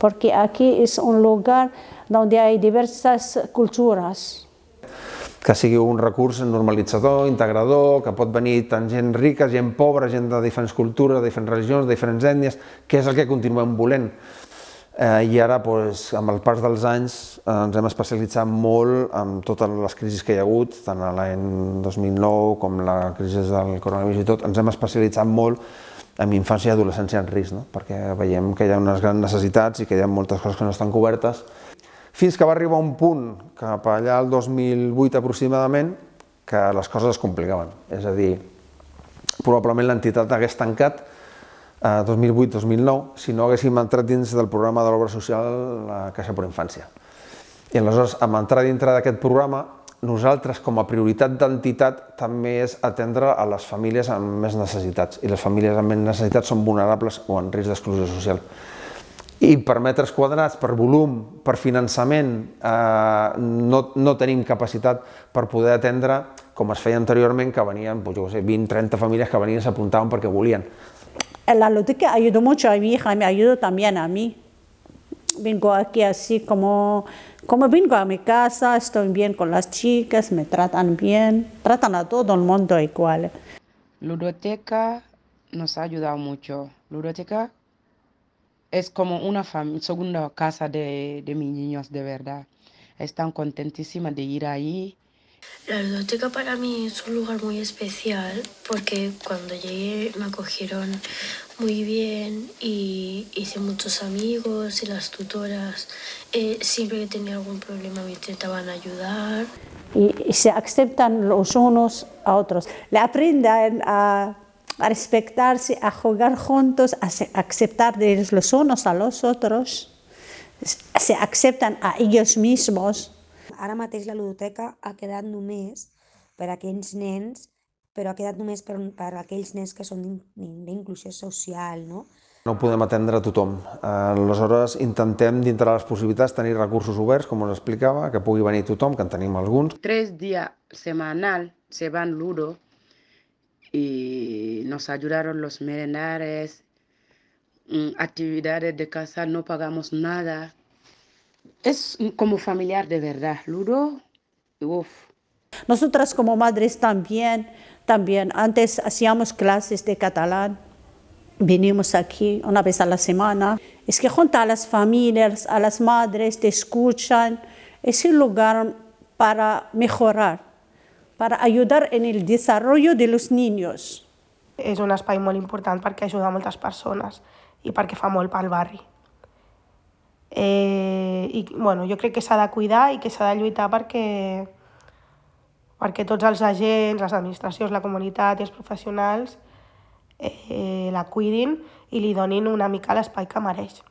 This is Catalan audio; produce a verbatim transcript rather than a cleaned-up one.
porque aquí es un lugar donde hay diversas culturas. Que sigui un recurs normalitzador, integrador, que pot venir tant gent rica, gent pobra, gent de diferents cultures, de diferents religions, de diferents ètnies, que és el que continuem volent. Eh, I ara, doncs, amb el pas dels anys, eh, ens hem especialitzat molt en totes les crisis que hi ha hagut, tant a l'any dos mil nou com la crisi del coronavirus i tot, ens hem especialitzat molt en infància i adolescència en risc, no? Perquè veiem que hi ha unes grans necessitats i que hi ha moltes coses que no estan cobertes, fins que va arribar un punt, cap allà al dos mil vuit aproximadament, que les coses es complicaven. És a dir, probablement l'entitat hagués tancat dos mil vuit dos mil nou, si no haguéssim entrat dins del programa de l'obra social la Caixa per Infància. I aleshores, amb entrar dintre d'aquest programa, nosaltres, com a prioritat d'entitat, també és atendre a les famílies amb més necessitats. I les famílies amb més necessitats són vulnerables o en risc d'exclusió social. I per metres quadrats, per volum, per finançament, eh, no, no tenim capacitat per poder atendre, com es feia anteriorment, que venien pues, jo sé, vint o trenta famílies que venien i s'apuntaven perquè volien. La ludoteca ayudó mucho a mi hija y me ayudó también a mí. Vengo aquí así como, como vengo a mi casa, estoy bien con las chicas, me tratan bien, tratan a todo el mundo igual. Ludoteca nos ha ayudado mucho. Ludoteca es como una segunda casa de, de mis niños, de verdad. Están contentísimas de ir ahí. La ludoteca para mí es un lugar muy especial porque cuando llegué me acogieron muy bien y hice muchos amigos y las tutoras eh, siempre que tenía algún problema me intentaban ayudar. Y, y se aceptan los unos a otros. Le aprenden a, a respetarse, a jugar juntos, a aceptar de los unos a los otros, se aceptan a ellos mismos. Ara mateix la ludoteca ha quedat només per a aquells nens, però ha quedat només per, per a aquells nens que són d'inclusió social, no? No podem atendre a tothom. Aleshores, intentem, dintre de les possibilitats, tenir recursos oberts, com us explicava, que pugui venir tothom, que en tenim alguns. Tres días semanal se van Ludo y nos ayudaron los merendarios, actividades de casa, no pagamos nada. Es como familiar de verdad, Ludo, uff. Nosotras como madres también, también, antes hacíamos clases de catalán, vinimos aquí una vez a la semana. Es que junto a las familias, a las madres, te escuchan, es un lugar para mejorar, para ayudar en el desarrollo de los niños. És un espai molt important perquè ajuda a moltes persones i perquè fa molt pel barri. Eh, i, bueno, jo crec que s'ha de cuidar i que s'ha de lluitar perquè, perquè tots els agents, les administracions, la comunitat i els professionals eh, la cuidin i li donin una mica l'espai que mereix.